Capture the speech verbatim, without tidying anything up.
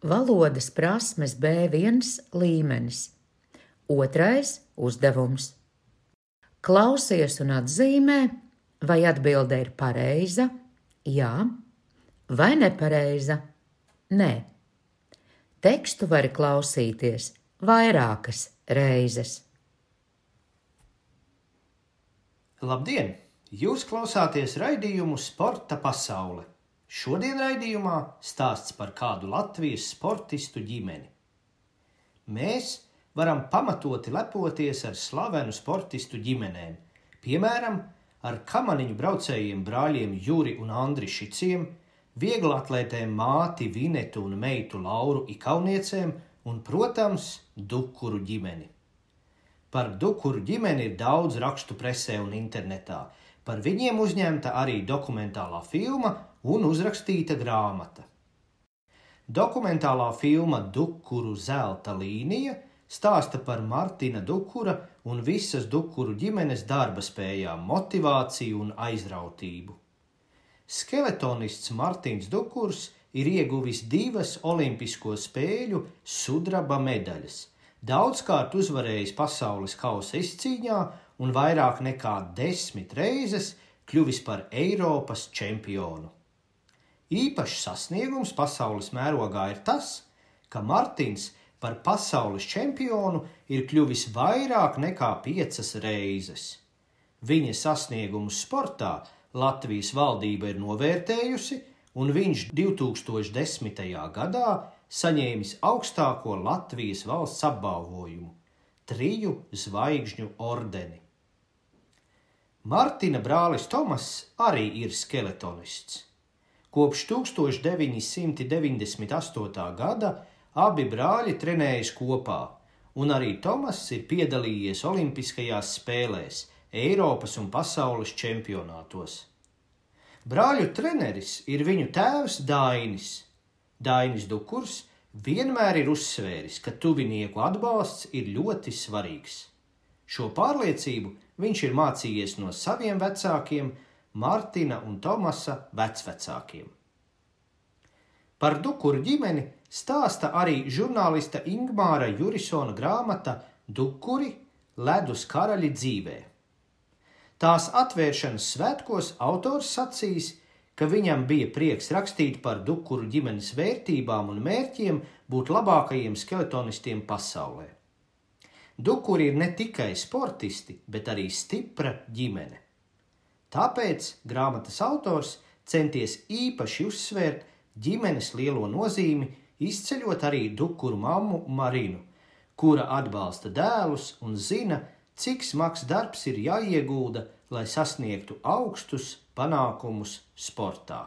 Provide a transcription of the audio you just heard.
Valodas prasmes B viens līmenis. Otrais uzdevums. Klausies un atzīmē, vai atbilde ir pareiza, jā, vai nepareiza, nē. Tekstu var klausīties vairākas reizes. Labdien! Jūs klausāties raidījumu Sporta pasaule. Šodien raidījumā stāsts par kādu Latvijas sportistu ģimeni. Mēs varam pamatoti lepoties ar slavenu sportistu ģimenēm, piemēram, ar kamaniņu braucējiem brāļiem Juri un Andri Šiciem, vieglatlētēm māti Vinetu un meitu Lauru Ikauniecēm un, protams, Dukuru ģimeni. Par Dukuru ģimeni ir daudz rakstu presē un internetā. Par viņiem uzņemta arī dokumentālā filma un uzrakstīta grāmata. Dokumentālā filma Dukuru zelta līnija stāsta par Martina Dukura un visas Dukuru ģimenes darba spējām, motivāciju un aizrautību. Skeletonists Martins Dukurs ir ieguvis divas olimpisko spēļu sudraba medaļas, daudzkārt uzvarējis pasaules kausa izcīņā un vairāk nekā desmit reizes kļuvis par Eiropas čempionu. Īpašs sasniegums pasaules mērogā ir tas, ka Martins par pasaules čempionu ir kļuvis vairāk nekā piecas reizes. Viņa sasniegumus sportā Latvijas valdība ir novērtējusi, un viņš divtūkstoš desmitajā gadā saņēmis augstāko Latvijas valsts apbalvojumu – triju zvaigžņu ordeni. Martina brālis Tomas arī ir skeletonists. Kopš tūkstoš deviņi simti deviņdesmit astotā gada abi brāļi trenējas kopā, un arī Tomas ir piedalījies olimpiskajās spēlēs, Eiropas un pasaules čempionātos. Brāļu treneris ir viņu tēvs Dainis. Dainis Dukurs vienmēr ir uzsvēris, ka tuvinieku atbalsts ir ļoti svarīgs. Šo pārliecību viņš ir mācījies no saviem vecākiem, Martina un Tomasa vecvecākiem. Par Dukuru ģimeni stāsta arī žurnālista Ingmāra Jurisona grāmata Dukuri – ledus karaļi dzīvē. Tās atvēršanas svētkos autors sacīs, ka viņam bija prieks rakstīt par Dukuru ģimenes vērtībām un mērķiem būt labākajiem skeletonistiem pasaulē. Dukuri ir ne tikai sportisti, bet arī stipra ģimene. Tāpēc grāmatas autors centies īpaši uzsvērt ģimenes lielo nozīmi, izceļot arī Dukuru mammu Marinu, kura atbalsta dēlus un zina, cik smags darbs ir jāiegulda, lai sasniegtu augstus panākumus sportā.